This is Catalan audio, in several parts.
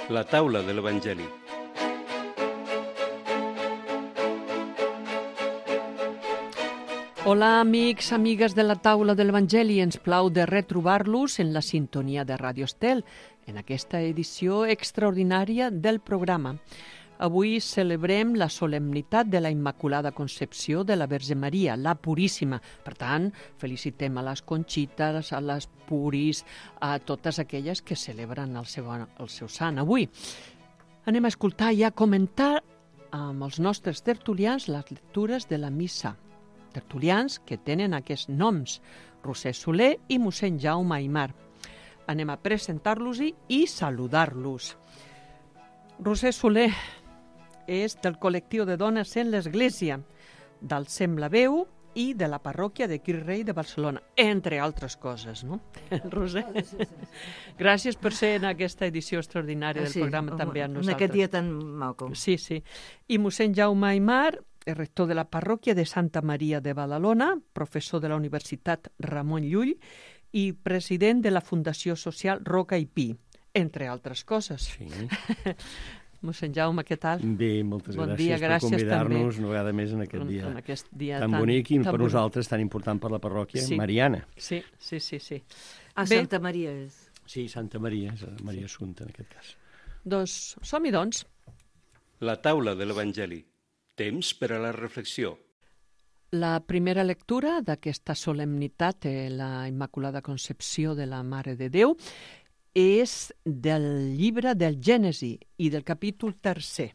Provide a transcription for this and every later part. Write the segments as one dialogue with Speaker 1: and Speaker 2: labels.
Speaker 1: La taula de l'Evangeli.
Speaker 2: Hola, amics, amigues de la taula de l'Evangeli. Ens plau de retrobar-los en la sintonia de Radio Estel, en aquesta edició extraordinària del programa. Avui celebrem la solemnitat de la Immaculada Concepció de la Verge Maria, la Puríssima. Per tant, felicitem a les Conxites, a les Puris, a totes aquelles que celebren el seu sant avui. Anem a escoltar i a comentar amb els nostres tertulians les lectures de la missa. Tertulians que tenen aquests noms, Roser Soler i mossèn Jaume Aimar. Anem a presentar-los i saludar-los. Roser Soler és del col·lectiu de dones en l'Església, del Sem la Veu i de la parròquia de Crist Rei de Barcelona, entre altres coses, no? Roser, gràcies per ser en aquesta edició extraordinària del programa també amb nosaltres.
Speaker 3: En aquest dia tan maco.
Speaker 2: Sí. I mossèn Jaume Aimar, el rector de la parròquia de Santa Maria de Badalona, professor de la Universitat Ramon Llull i president de la Fundació Social Roca i Pi, entre altres coses.
Speaker 1: Sí.
Speaker 2: Mossèn Jaume, què tal?
Speaker 1: Bé, moltes
Speaker 2: Bon dia,
Speaker 1: gràcies per convidar-nos
Speaker 2: també.
Speaker 1: una vegada més en aquest dia tan bonic i per
Speaker 2: bonic.
Speaker 1: nosaltres tan important per la parròquia mariana.
Speaker 2: Sí.
Speaker 3: A Santa Maria és.
Speaker 1: Sí, Santa Maria, és Maria Assumpta en aquest cas.
Speaker 2: Doncs som-hi, doncs.
Speaker 1: La taula de l'Evangeli. Temps per a la reflexió.
Speaker 2: La primera lectura d'aquesta solemnitat de la Immaculada Concepció de la Mare de Déu és del llibre del Gènesi i del capítol 3.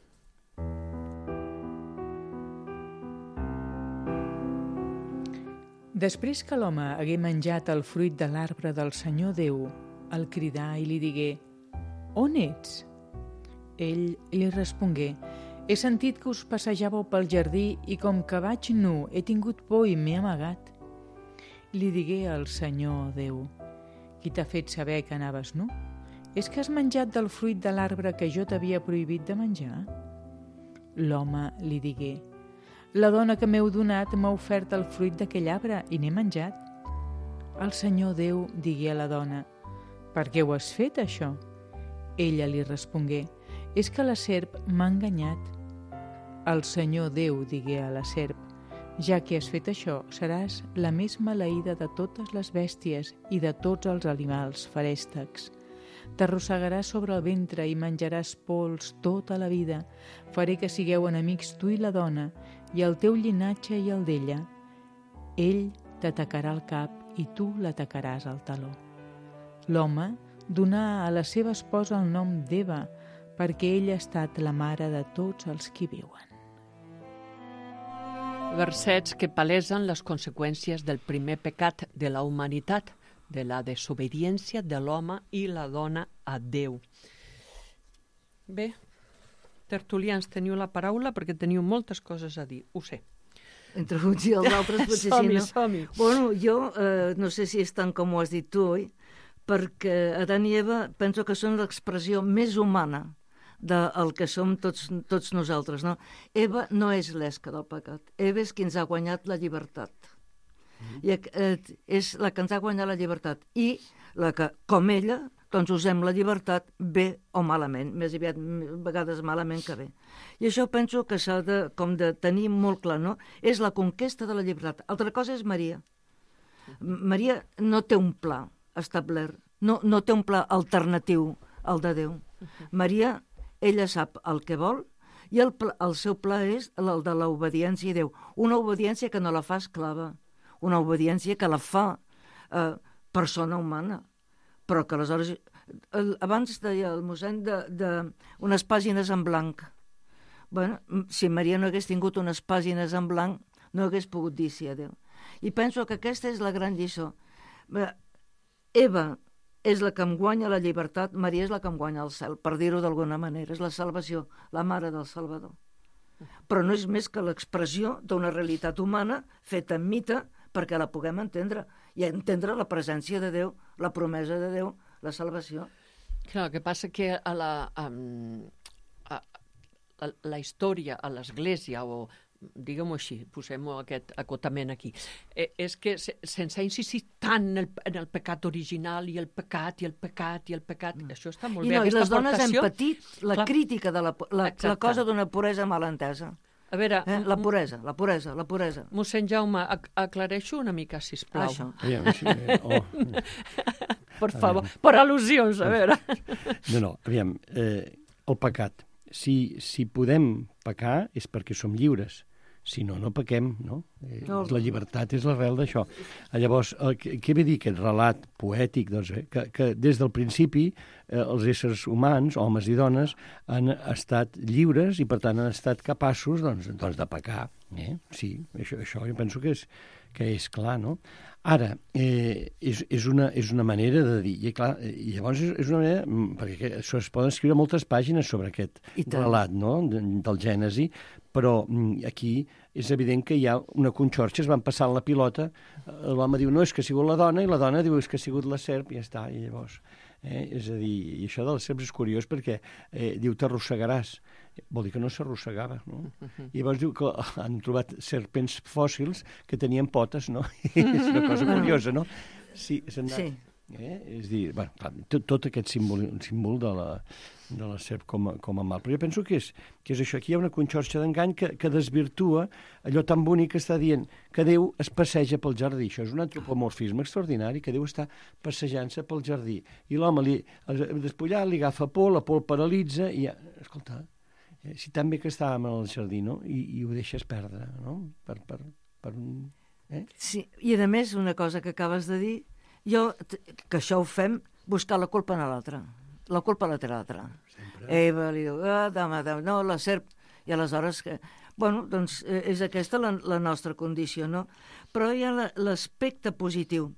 Speaker 4: Després que l'home hagué menjat el fruit de l'arbre del Senyor Déu, el cridà i li digué: «On ets?» Ell li respongué: «He sentit que us passejàveu pel jardí i com que vaig nu he tingut por i m'he amagat». Li digué al Senyor Déu: «Qui t'ha fet saber que anaves nu? És que has menjat del fruit de l'arbre que jo t'havia prohibit de menjar?» L'home li digué: «La dona que m'heu donat m'ha ofert el fruit d'aquell arbre i n'he menjat». El Senyor Déu digué a la dona: «Per què ho has fet, això?» Ella li respongué: «És que la serp m'ha enganyat». El Senyor Déu digué a la serp: «Ja que has fet això, seràs la més maleïda de totes les bèsties i de tots els animals feréstecs. T'arrossegaràs sobre el ventre i menjaràs pols tota la vida. Faré que sigueu enemics tu i la dona, i el teu llinatge i el d'ella. Ell t'atacarà el cap i tu l'atacaràs al taló». L'home donà a la seva esposa el nom d'Eva, perquè ella ha estat la mare de tots els qui viuen.
Speaker 2: Versets que palesen les conseqüències del primer pecat de la humanitat, de la desobediència de l'home i la dona a Déu. Bé, tertulians, teniu la paraula perquè teniu moltes coses a dir, ho sé.
Speaker 3: Entre uns i els altres potser sí, no?
Speaker 2: Som-hi.
Speaker 3: Bueno, jo no sé si és tant com ho has dit tu, oi? Perquè Adán i Eva penso que són l'expressió més humana del que som tots nosaltres, no? Eva no és l'esca del pecat. Eva és qui ens ha guanyat la llibertat. I és la que ens ha guanyat la llibertat i la que, com ella, doncs usem la llibertat bé o malament, més aviat a vegades malament que bé. I això penso que s'ha de tenir molt clar, no? És la conquesta de la llibertat. Altra cosa és Maria. Maria no té un pla establert, no té un pla alternatiu al de Déu. Maria, ella sap el que vol i el seu pla és el de l'obediència a Déu. Una obediència que no la fa esclava, una obediència que la fa persona humana, però que aleshores... Abans deia el mossèn d'unes pàgines en blanc. Bueno, si Maria no hagués tingut unes pàgines en blanc, no hagués pogut dir sí a Déu. I penso que aquesta és la gran lliçó. Eva és la que em guanya la llibertat, Maria és la que em guanya el cel, per dir-ho d'alguna manera. És la salvació, la mare del Salvador. Però no és més que l'expressió d'una realitat humana feta en mite perquè la puguem entendre i entendre la presència de Déu, la promesa de Déu, la salvació.
Speaker 2: Clar, el que passa que a la història, a l'Església o diguem-ho així, posem aquest acotament aquí, és que sense insistir tant en el pecat original i el pecat, això està molt bé,
Speaker 3: I
Speaker 2: aquesta
Speaker 3: les dones
Speaker 2: aportació.
Speaker 3: hem patit la crítica de la cosa d'una puresa mal entesa.
Speaker 2: A veure,
Speaker 3: La puresa.
Speaker 2: mossèn Jaume, aclareixo una mica, sisplau.
Speaker 3: Això.
Speaker 2: Per favor, per al·lusions, a veure.
Speaker 5: Aviam, el pecat. Si podem pecar és perquè som lliures. Si no, no pequem, no? La llibertat és l'arrel d'això. Llavors, què ve dir aquest relat poètic? Doncs, que des del principi els éssers humans, homes i dones, han estat lliures i, per tant, han estat capaços de pecar. Sí, això jo penso que és clar, no? Ara, és una manera de dir, i clar, llavors és una manera, perquè es poden escriure moltes pàgines sobre aquest relat, no?, del Gènesi, però aquí és evident que hi ha una conxorxa, es van passant la pilota, l'home diu, no, és que ha sigut la dona, i la dona diu, és que ha sigut la serp, i ja està, i llavors... És a dir, i això de les serps és curiós perquè diu t'arrossegaràs, vol dir que no s'arrossegava, no? I llavors diu que han trobat serpents fòssils que tenien potes, no? És una cosa curiosa, no? Sí. És a dir, tot aquest símbol de la serp com a mal. Però jo penso que és això. Aquí hi ha una conxorxa d'engany que desvirtua allò tan bonic que està dient que Déu es passeja pel jardí. Això és un antropomorfisme extraordinari, que Déu està passejant-se pel jardí. I l'home, despullat, li agafa por, la por el paralitza, i escolta, si tan bé que estàvem al jardí, no? I ho deixes perdre, no?
Speaker 3: Sí, i a més, una cosa que acabes de dir, que això ho fem buscar la culpa en l'altre. La culpa la té l'altre. Eva li diu, no, la serp. I aleshores, doncs és aquesta la nostra condició, no? Però hi ha l'aspecte positiu.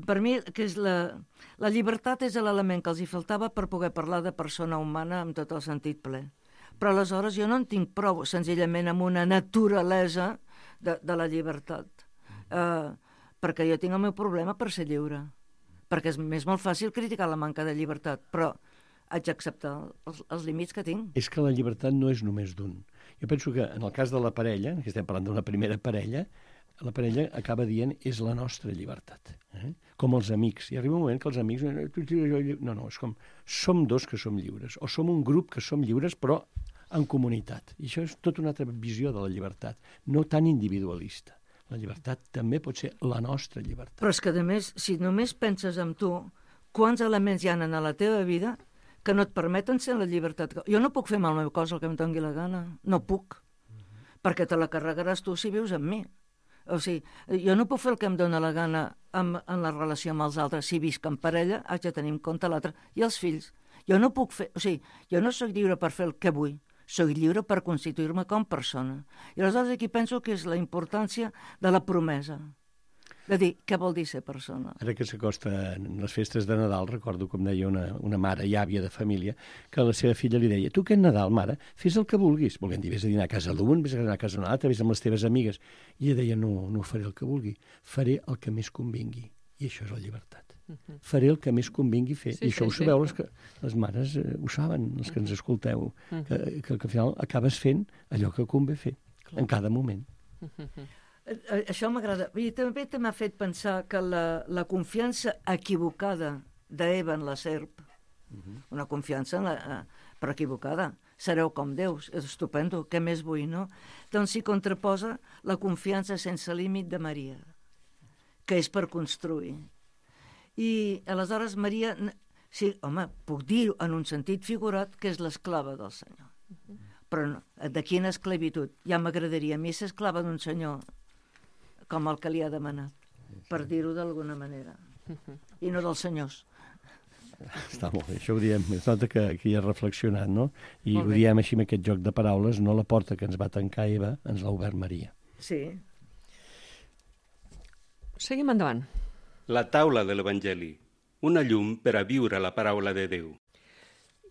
Speaker 3: Per mi, que és la llibertat és l'element que els hi faltava per poder parlar de persona humana amb tot el sentit ple. Però aleshores jo no en tinc prou, senzillament, amb una naturalesa de la llibertat. Perquè jo tinc el meu problema per ser lliure. Perquè és molt fàcil criticar la manca de llibertat, però haig d'acceptar els límits que tinc.
Speaker 5: És que la llibertat no és només d'un. Jo penso que en el cas de la parella, que estem parlant d'una primera parella, la parella acaba dient és la nostra llibertat. Com els amics. I arriba un moment que els amics... No, és com som dos que som lliures, o som un grup que som lliures, però en comunitat. I això és tota una altra visió de la llibertat, no tan individualista. La llibertat també pot ser la nostra llibertat.
Speaker 3: Però és que, a més, si només penses en tu, quants elements hi ha en la teva vida que no et permeten ser la llibertat? Jo no puc fer amb el meu cos el que em doni la gana. No puc. Perquè te la carregaràs tu si vius amb mi. O sigui, jo no puc fer el que em dóna la gana en la relació amb els altres. Si visc en parella, haig de tenir en compte l'altre. I els fills. Jo no puc fer... O sigui, jo no soc lliure per fer el que vull. Soc lliure per constituir-me com persona. I aleshores aquí penso que és la importància de la promesa. De dir, què vol dir ser persona?
Speaker 5: Ara que s'acosten les festes de Nadal, recordo com deia una mare i àvia de família, que a la seva filla li deia, tu aquest Nadal, mare, fes el que vulguis. Volent dir, vés a dinar a casa d'un, vés a dinar a casa d'un altre, vés amb les teves amigues. I ella deia, no faré el que vulgui, faré el que més convingui. I això és la llibertat. Faré el que més convingui fer. I això ho sabeu, les mares ho saben, els que ens escolteu, que al final acabes fent allò que convé fer, en cada moment.
Speaker 3: Això m'agrada. I també m'ha fet pensar que la confiança equivocada d'Eva en la serp, una confiança però equivocada, sereu com Déus, és estupendo, què més vull, no? Doncs s'hi contraposa la confiança sense límit de Maria, que és per construir. I aleshores Maria, sí, home, puc dir en un sentit figurat que és l'esclava del Senyor. Però no, de quina esclavitud? Ja m'agradaria a mi ser esclava d'un senyor com el que li ha demanat, per dir-ho d'alguna manera. I no dels senyors.
Speaker 5: Està molt bé, això ho diem, es nota que hi ha reflexionat, no? I ho diem així amb aquest joc de paraules, no la porta que ens va tancar Eva, ens l'ha obert Maria.
Speaker 3: Sí.
Speaker 2: Seguim endavant.
Speaker 1: La taula de l'Evangeli, una llum per a viure la paraula de Déu.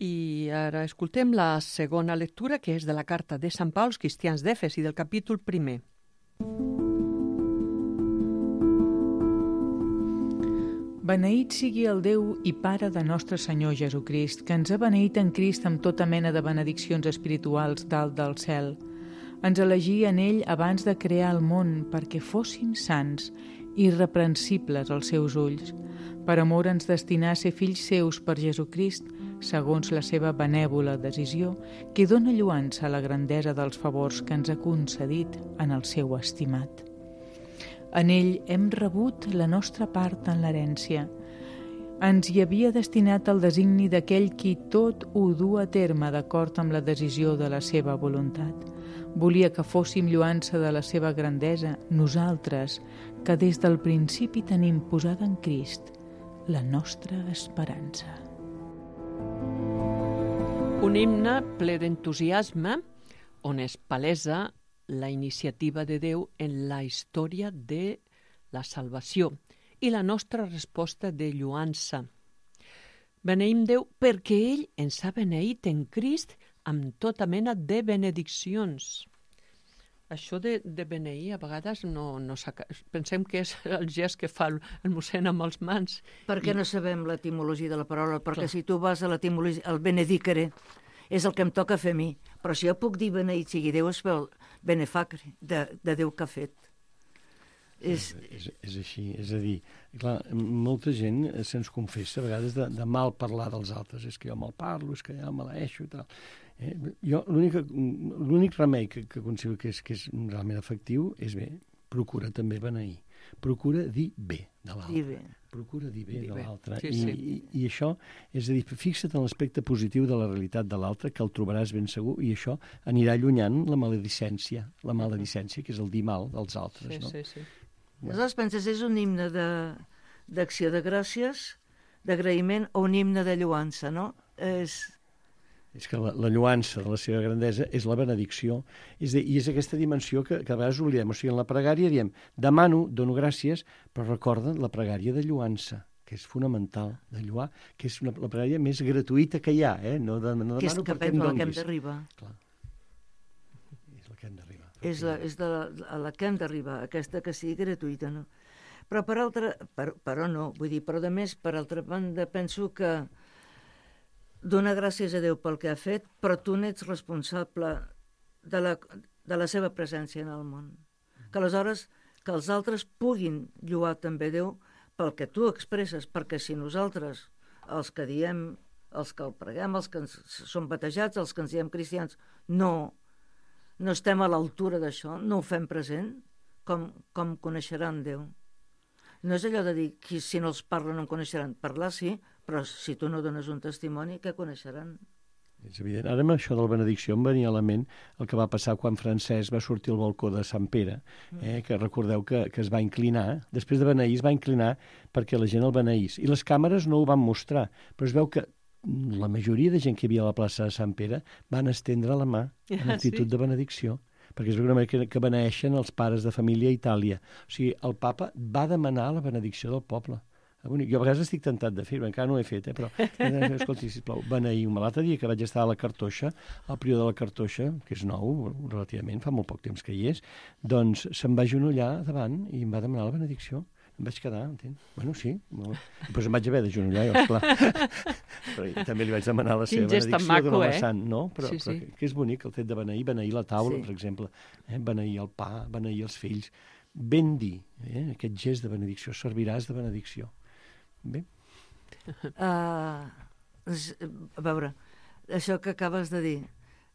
Speaker 2: I ara escoltem la segona lectura, que és de la carta de Sant Pau als cristians d'Efes i del capítol 1.
Speaker 4: Beneït sigui el Déu i Pare de nostre Senyor Jesucrist, que ens ha beneït en Crist amb tota mena de benediccions espirituals dalt del cel. Ens elegí en ell abans de crear el món perquè fossin sants i irreprensibles als seus ulls. Per amor ens destinà a ser fills seus per Jesucrist, segons la seva benèvola decisió, que dóna lloança a la grandesa dels favors que ens ha concedit en el seu estimat. En ell hem rebut la nostra part en l'herència. Ens hi havia destinat el designi d'aquell qui tot ho du a terme d'acord amb la decisió de la seva voluntat. Volia que fóssim lloança de la seva grandesa, nosaltres, que des del principi tenim posada en Crist la nostra esperança.
Speaker 2: Un himne ple d'entusiasme on es palesa la iniciativa de Déu en la història de la salvació i la nostra resposta de lloança. Beneïm Déu perquè ell ens ha beneït en Crist amb tota mena de benediccions. Això de beneir a vegades pensem que és el gest que fa el mossèn amb els mans.
Speaker 3: Perquè no sabem l'etimologia de la paraula, perquè si tu vas a l'etimologia, el benedicere, és el que em toca fer a mi. Però si jo puc dir beneït sigui Déu, es veu benefacre, de Déu que ha fet.
Speaker 5: És així, és a dir, clar, molta gent se'ns confessa a vegades de mal parlar dels altres, és que jo mal parlo, és que ja maleeixo i tal. Jo l'únic remei que considero que és realment efectiu és bé, procura també beneir, procura dir bé de l'altre. Procura dir bé de l'altre. I això, és a dir, fixa't en l'aspecte positiu de la realitat de l'altre, que el trobaràs ben segur, i això anirà allunyant la maledicència, que és el dir mal dels altres.
Speaker 3: Sí. Aleshores penses, és un himne d'acció de gràcies, d'agraïment, o un himne de lloança, no?
Speaker 5: És que la lloança de la seva grandesa és la benedicció, i és aquesta dimensió que a vegades oblidem. O sigui, en la pregària diem, demano, dono gràcies, però recorda la pregària de lloança, que és fonamental, de lloar, que és la pregària més gratuïta que hi ha, no demano perquè em donguis.
Speaker 3: Que és la que hem d'arribar.
Speaker 5: Clar. És la que hem d'arribar.
Speaker 3: És la que hem d'arribar, aquesta que sigui gratuïta, no? Però a més, per altra banda, penso que donar gràcies a Déu pel que ha fet, però tu n'ets responsable de la seva presència en el món. Que aleshores que els altres puguin lloar també Déu pel que tu expresses, perquè si nosaltres, els que diem, els que el preguem, els que som batejats, els que ens diem cristians, no estem a l'altura d'això, no ho fem present, com coneixeran Déu? No és allò de dir que si no els parla no em coneixeran. Parlar sí, però si tu no dones un testimoni, què coneixeran?
Speaker 5: És evident. Ara amb això de la benedicció em venia a la ment el que va passar quan Francesc va sortir al balcó de Sant Pere, que recordeu que es va inclinar, després de beneir es va inclinar perquè la gent el beneís. I les càmeres no ho van mostrar, però es veu que la majoria de gent que hi havia a la plaça de Sant Pere van estendre la mà en actitud de benedicció, perquè és una manera que beneeixen els pares de família a Itàlia. O sigui, el papa va demanar la benedicció del poble. Jo a vegades estic tentat de fer-ho, encara no ho he fet, però escolti, sisplau, beneïu-me. L'altre dia que vaig estar a la Cartoixa, al prior de la Cartoixa, que és nou, relativament, fa molt poc temps que hi és, doncs se'm va agenollar davant i em va demanar la benedicció. Em vaig quedar, entens? Bueno, sí. Doncs em vaig haver d'agenollar, jo, esclar. Però també li vaig demanar la seva benedicció d'una vessant, no? Però que és bonic el fet de beneir la taula, per exemple, beneir el pa, beneir els fills. Ben dir, aquest gest de benedicció, serviràs de benedicció. Bé.
Speaker 3: A veure, això que acabes de dir,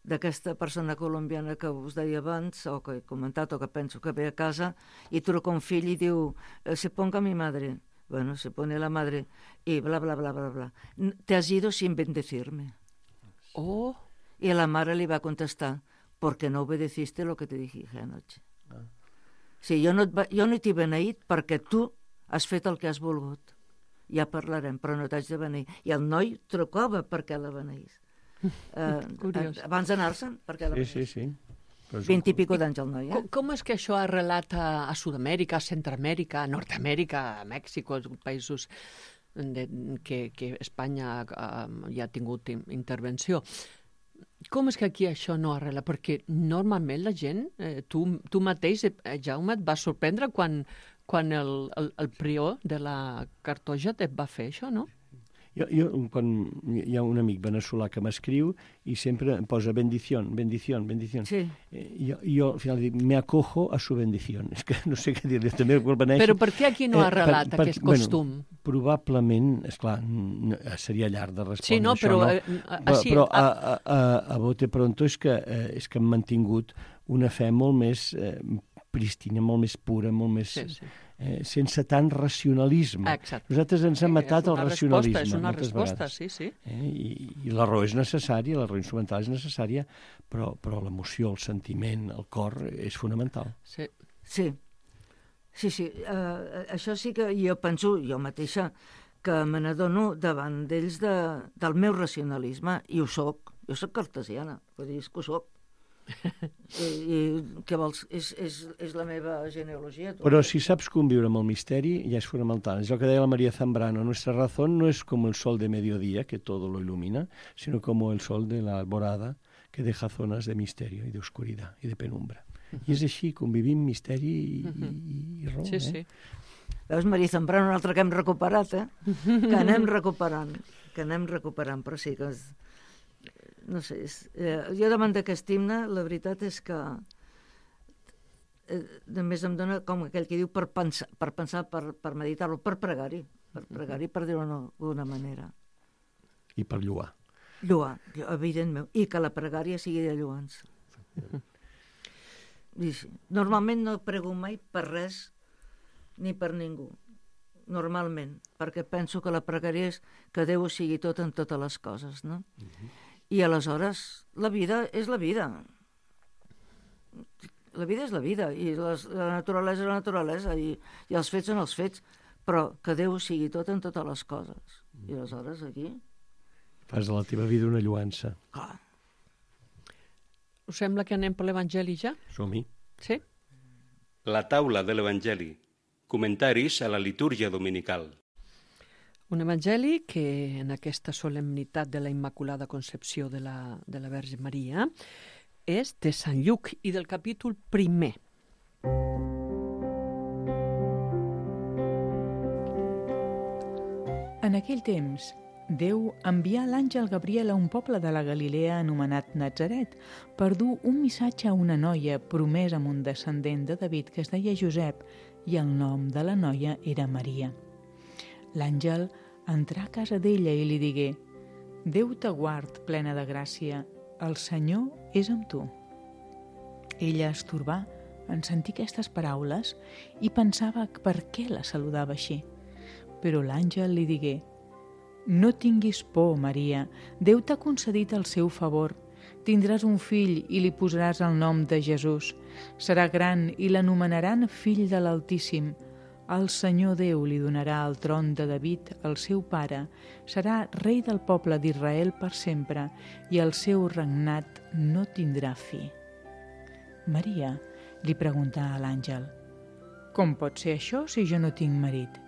Speaker 3: d'aquesta persona colombiana que us deia abans, o que he comentat, o que penso que ve a casa i truca un fill i diu, se ponga mi madre. Bueno, se pone la madre y bla, bla, bla, bla, bla. Te has ido sin bendecirme.
Speaker 2: Oh.
Speaker 3: Y la madre le va a contestar, porque no obedeciste lo que te dije anoche. Sí, jo no t'he beneït perquè tu has fet el que has volgut. Ja parlarem, però no t'haig de beneir. I el noi trucava perquè la beneís. Abans d'anar-se'n, perquè la beneís.
Speaker 5: Sí.
Speaker 3: 20 i pico d'anys el noi,
Speaker 2: Com és que això ha arrelat a Sud-amèrica, a Centroamèrica, a Nord-amèrica, a Mèxic, als països que Espanya ja ha tingut intervenció? Com és que aquí això no arrela? Perquè normalment la gent, tu mateix, Jaume, et va sorprendre quan el prior de la Cartoixa et va fer això, no?
Speaker 5: Quan hi ha un amic veneçolà que m'escriu i sempre em posa bendición.
Speaker 3: Sí.
Speaker 5: Jo al final dic, me acojo a su bendición. És que no sé què dir-li. També quan beneixi...
Speaker 2: Però per què aquí no ha arrelat aquest costum?
Speaker 5: Probablement, esclar, seria llarg de respondre
Speaker 2: sí, no,
Speaker 5: això,
Speaker 2: però,
Speaker 5: no? Però a bote pronto és que hem mantingut una fe molt més prístina, molt més pura, molt més...
Speaker 2: Sí.
Speaker 5: Sense tant racionalisme.
Speaker 2: Exacte.
Speaker 5: Nosaltres ens hem matat el racionalisme.
Speaker 2: És una resposta, sí.
Speaker 5: I la raó és necessària, la raó instrumental és necessària, però l'emoció, el sentiment, el cor és fonamental.
Speaker 2: Sí.
Speaker 3: Això sí que jo penso, jo mateixa, que me n'adono davant d'ells del meu racionalisme, i ho soc. Jo soc cartesiana, vull dir, que ho soc. I què vols? És la meva genealogia.
Speaker 5: Però si saps conviure amb el misteri, ja és fonamental. És el que deia la María Zambrano. Nuestra razón no es como el sol de mediodía, que todo lo ilumina, sino como el sol de la alborada, que deja zonas de misterio y de oscuridad y de penumbra. I és així, convivim misteri i raó.
Speaker 3: Sí. Veus, María Zambrano, un altre que hem recuperat, que anem recuperant, però sí que... No sé, jo davant d'aquest himne, la veritat és que només em dona com aquell que diu per pensar, per meditar-lo, per pregar-hi, per dir-ho d'alguna manera.
Speaker 5: I per lloar.
Speaker 3: Lloar, evidentment, i que la pregària sigui de lloans. Normalment no prego mai per res ni per ningú, normalment, perquè penso que la pregària és que Déu sigui tot en totes les coses, no? I aleshores la vida és la vida. La vida és la vida, i la naturalesa és la naturalesa, i els fets són els fets, però que Déu sigui tot en totes les coses. I aleshores aquí...
Speaker 5: Fas de la teva vida una lluança.
Speaker 3: Clar.
Speaker 2: Us sembla que anem per l'Evangeli ja?
Speaker 5: Som-hi.
Speaker 2: Sí?
Speaker 1: La taula de l'Evangeli. Comentaris a la litúrgia dominical.
Speaker 2: Un evangeli que en aquesta solemnitat de la Immaculada Concepció de la Verge Maria és de Sant Lluc i del capítol 1.
Speaker 4: En aquell temps, Déu envià l'àngel Gabriel a un poble de la Galilea anomenat Natzaret per dur un missatge a una noia promesa amb un descendent de David que es deia Josep, i el nom de la noia era Maria. L'àngel entrà a casa d'ella i li digué: Déu te guard, plena de gràcia, el Senyor és amb tu. Ella es torbà en sentir aquestes paraules i pensava per què la saludava així. Però l'àngel li digué: No tinguis por, Maria, Déu t'ha concedit el seu favor. Tindràs un fill i li posaràs el nom de Jesús. Serà gran i l'anomenaran fill de l'Altíssim. El Senyor Déu li donarà el tron de David, el seu pare. Serà rei del poble d'Israel per sempre, i el seu regnat no tindrà fi. Maria li preguntà a l'àngel: Com pot ser això si jo no tinc marit?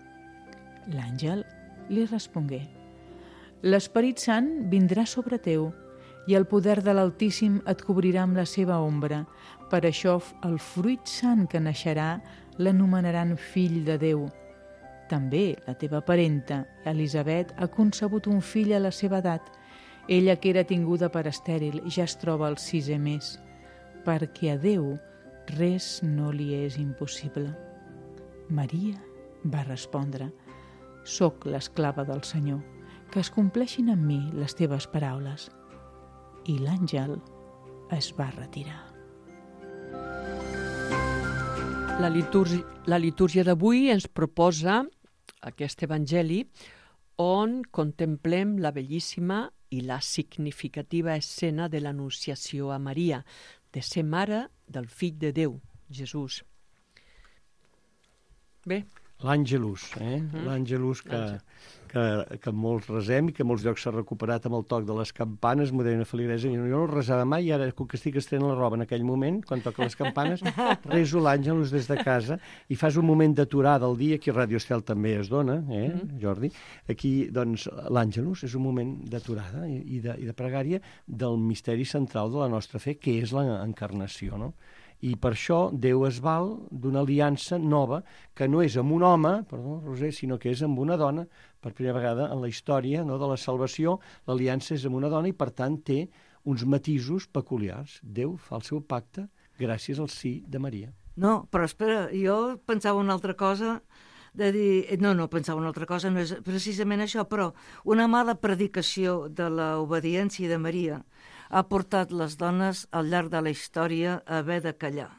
Speaker 4: L'àngel li respongué: L'Esperit Sant vindrà sobre teu, i el poder de l'Altíssim et cobrirà amb la seva ombra. Per això el fruit sant que naixerà l'anomenaran fill de Déu. També la teva parenta, Elisabet, ha concebut un fill a la seva edat. Ella, que era tinguda per estèril, ja es troba al 6è mes, perquè a Déu res no li és impossible. Maria va respondre: Soc l'esclava del Senyor, que es compleixin en mi les teves paraules. I l'àngel es va retirar.
Speaker 2: La litúrgia d'avui ens proposa aquest evangeli on contemplem la bellíssima i la significativa escena de l'anunciació a Maria, de ser mare del fill de Déu, Jesús. Bé.
Speaker 5: L'Àngelus, l'Àngelus que molts resem i que molts llocs s'ha recuperat amb el toc de les campanes. M'ho deia una feligresa, jo no el resava mai, i ara, com que estic estrenant la roba en aquell moment, quan toca les campanes, reso l'Àngelus des de casa i fas un moment d'aturada al dia, aquí a Radio Estel també es dona, Jordi? Aquí, doncs, l'Àngelus és un moment d'aturada i de pregària del misteri central de la nostra fe, que és l'encarnació, no? I per això Déu es val d'una aliança nova, que no és amb un home, perdó, Roser, sinó que és amb una dona. Per primera vegada en la història, no, de la salvació, l'aliança és amb una dona i, per tant, té uns matisos peculiars. Déu fa el seu pacte gràcies al sí de Maria.
Speaker 3: No, però espera, jo pensava una altra cosa, de dir... No, pensava una altra cosa, no és precisament això, però una mala predicació de l'obediència de Maria ha portat les dones al llarg de la història a haver de callar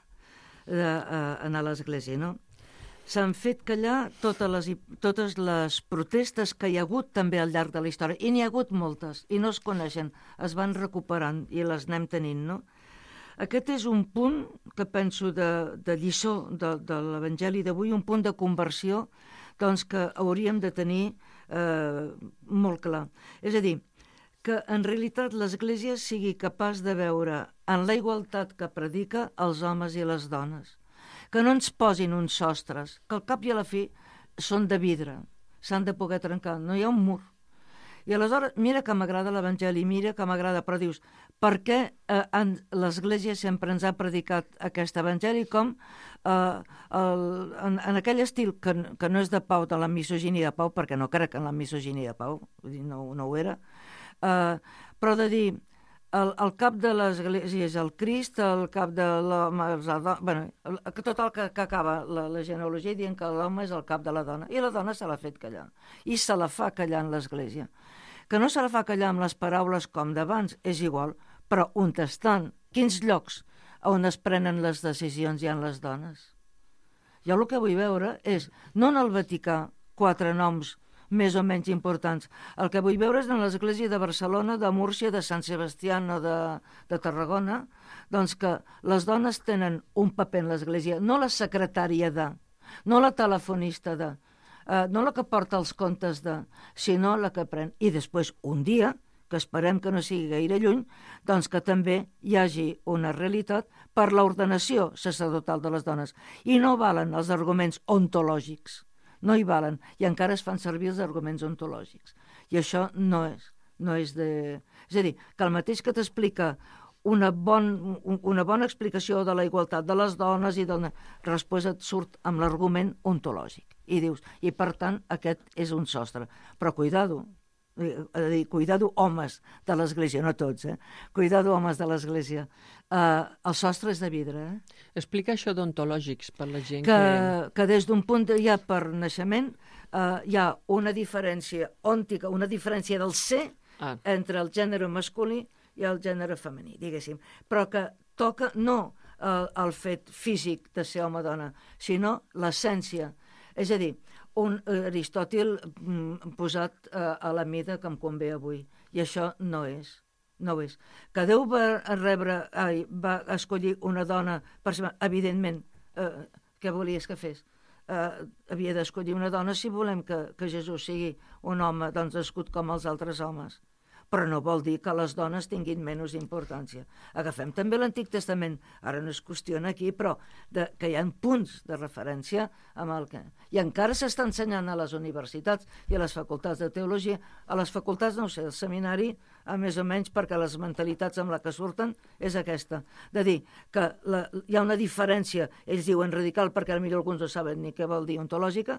Speaker 3: a l'Església, no? S'han fet callar totes les protestes que hi ha hagut també al llarg de la història, i n'hi ha hagut moltes, i no es coneixen, es van recuperant i les anem tenint, no? Aquest és un punt que penso de lliçó de l'Evangeli d'avui, un punt de conversió doncs, que hauríem de tenir molt clar. És a dir, que en realitat l'Església sigui capaç de veure en la igualtat que predica els homes i les dones, que no ens posin uns sostres, que al cap i a la fi són de vidre, s'han de poder trencar, no hi ha un mur. I aleshores, mira que m'agrada l'Evangeli, mira que m'agrada, però dius, per què l'Església sempre ens ha predicat aquest Evangeli com en aquell estil que no és de Pau, de la misoginia de Pau, perquè no crec en la misoginia de Pau, no ho era, però de dir, el cap de l'Església és el Crist, el cap de l'home és la dona... Bueno, tot el que acaba la genealogia dient que l'home és el cap de la dona, i la dona se l'ha fet callar, i se la fa callar en l'Església. Que no se la fa callar amb les paraules com d'abans, és igual, però on estan? Quins llocs on es prenen les decisions hi ha les dones? Jo el que vull veure és, no en el Vaticà, 4 noms més o menys importants. El que vull veure és en l'Església de Barcelona, de Múrcia, de Sant Sebastià o de Tarragona, doncs que les dones tenen un paper en l'Església, no la secretària de, no la telefonista de, no la que porta els comptes de, sinó la que pren. I després, un dia, que esperem que no sigui gaire lluny, doncs que també hi hagi una realitat per l'ordenació sacerdotal de les dones. I no valen els arguments ontològics. No hi valen, i encara es fan servir els arguments ontològics. I això no és de... És a dir, que el mateix que t'explica una bona explicació de la igualtat de les dones i després et surt amb l'argument ontològic. I dius, i per tant aquest és un sostre. Però cuidado, cuidado homes de l'Església, no tots, cuidado homes de l'Església. El sostre és de vidre.
Speaker 2: Explica això d'ontològics per la gent
Speaker 3: que des d'un punt ja per naixement hi ha una diferència òntica, una diferència del ser entre el gènere masculí i el gènere femení, diguéssim. Però que toca no el fet físic de ser home o dona, sinó l'essència. És a dir, un Aristòtil posat a la mida que em convé avui. I això no és. Que Déu va escollir una dona per ser... Evidentment, què volies que fes? Havia d'escollir una dona si volem que Jesús sigui un home doncs nascut com els altres homes. Però no vol dir que les dones tinguin menys importància. Agafem també l'Antic Testament, ara no es qüestiona aquí, però que hi ha punts de referència amb el que... I encara s'està ensenyant a les universitats i a les facultats de teologia, a les facultats, no sé, el seminari, més o menys, perquè les mentalitats amb la que surten és aquesta, de dir que hi ha una diferència, ells diuen radical perquè potser alguns no saben ni què vol dir ontològica,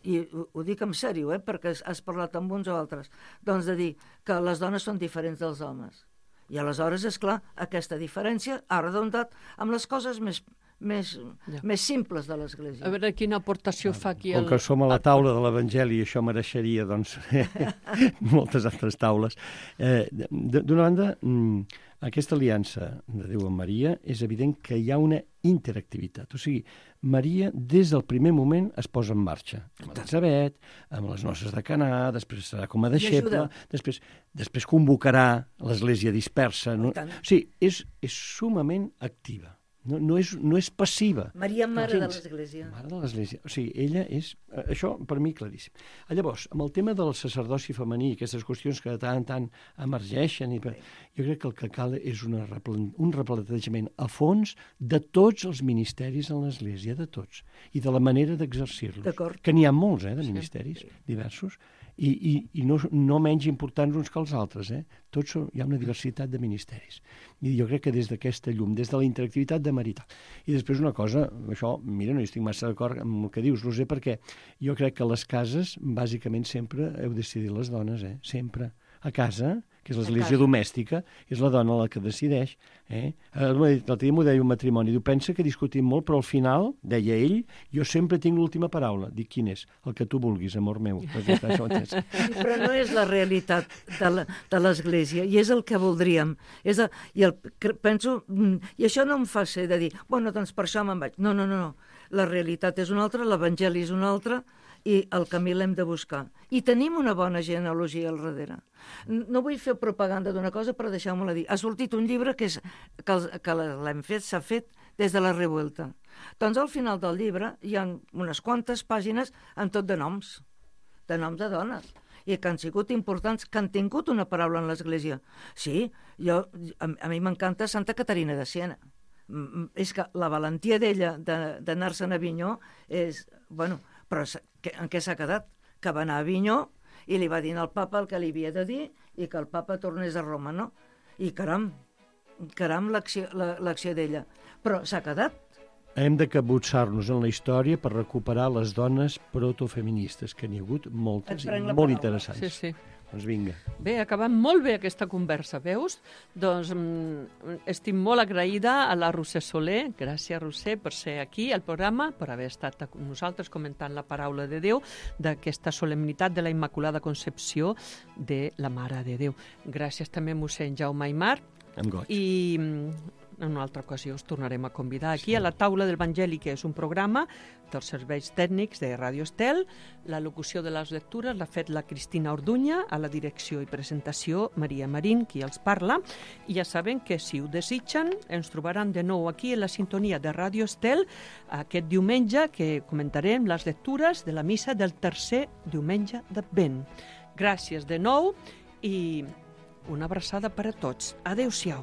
Speaker 3: i ho dic en sèrio, perquè has parlat amb uns o altres, doncs de dir que les dones són diferents dels homes. I aleshores, és clar, aquesta diferència ha redondat amb les coses més simples de l'Església.
Speaker 2: A veure quina aportació fa aquí
Speaker 5: Com que som a la taula de l'Evangeli, això mereixeria, doncs, moltes altres taules. D'una banda, aquesta aliança de Déu amb Maria és evident que hi ha una interactivitat. O sigui, Maria, des del primer moment, es posa en marxa. Amb Elisabet, amb les noces de Canà, després serà com a deixeble, després convocarà l'Església dispersa. O sigui, és sumament activa. No és passiva.
Speaker 3: Maria, mare de l'Església.
Speaker 5: Mare de l'Església. O sigui, ella és... Això, per mi, claríssim. Llavors, amb el tema del sacerdoci femení, aquestes qüestions que de tant en tant emergeixen, jo crec que el que cal és un replantejament a fons de tots els ministeris en l'Església, de tots, i de la manera d'exercir-los.
Speaker 3: D'acord.
Speaker 5: Que n'hi ha molts, de ministeris diversos, i no menys importants uns que els altres. Tots hi ha una diversitat de ministeris. I jo crec que des d'aquesta llum, des de la interactivitat de marital. I després una cosa, això, mira, no hi estic massa d'acord amb el que dius, Roser, perquè jo crec que a les cases, bàsicament, sempre heu decidit les dones, sempre. A casa, que és l'església domèstica, és la dona la que decideix. L'altre dia m'ho deia un matrimoni, diu, pensa que discutim molt, però al final, deia ell, jo sempre tinc l'última paraula. Dic, quin és? El que tu vulguis, amor meu.
Speaker 3: Sí, però no és la realitat de l'església, i és el que voldríem. Penso, i això no em fa ser de dir, bueno, doncs per això me'n vaig. No. La realitat és una altra, l'evangeli és una altra, i el camí l'hem de buscar. I tenim una bona genealogia al darrere. No vull fer propaganda d'una cosa, però deixeu-me-la dir. Ha sortit un llibre que l'hem fet, s'ha fet des de la Revuelta. Doncs al final del llibre hi ha unes quantes pàgines amb tot de noms de dones, i que han sigut importants, que han tingut una paraula en l'Església. Sí, a mi m'encanta Santa Caterina de Siena. És que la valentia d'ella d'anar-se'n a Avinyó és... Bueno, però en què s'ha quedat? Que va anar a Avinyó i li va dir al papa el que li havia de dir i que el papa tornés a Roma, no? I caram l'acció d'ella. Però s'ha quedat.
Speaker 5: Hem de capbussar-nos en la història per recuperar les dones protofeministes, que n'hi ha hagut moltes i molt interessants.
Speaker 2: Sí.
Speaker 5: Doncs vinga.
Speaker 2: Bé, ha acabat molt bé aquesta conversa, veus? Doncs estic molt agraïda a la Roser Soler, gràcies Roser per ser aquí al programa, per haver estat amb nosaltres comentant la paraula de Déu d'aquesta solemnitat de la Immaculada Concepció de la Mare de Déu. Gràcies també a mossèn Jaume Aymar.
Speaker 5: Amb goig.
Speaker 2: I en una altra ocasió us tornarem a convidar aquí a la Taula del Vangeli, que és un programa dels serveis tècnics de Ràdio Estel. La locució de les lectures l'ha fet la Cristina Orduña, a la direcció i presentació Maria Marín, qui els parla. I ja saben que si ho desitgen ens trobaran de nou aquí en la sintonia de Ràdio Estel aquest diumenge, que comentarem les lectures de la missa del tercer diumenge d'Advent. Gràcies de nou i una abraçada per a tots. Adéu-siau.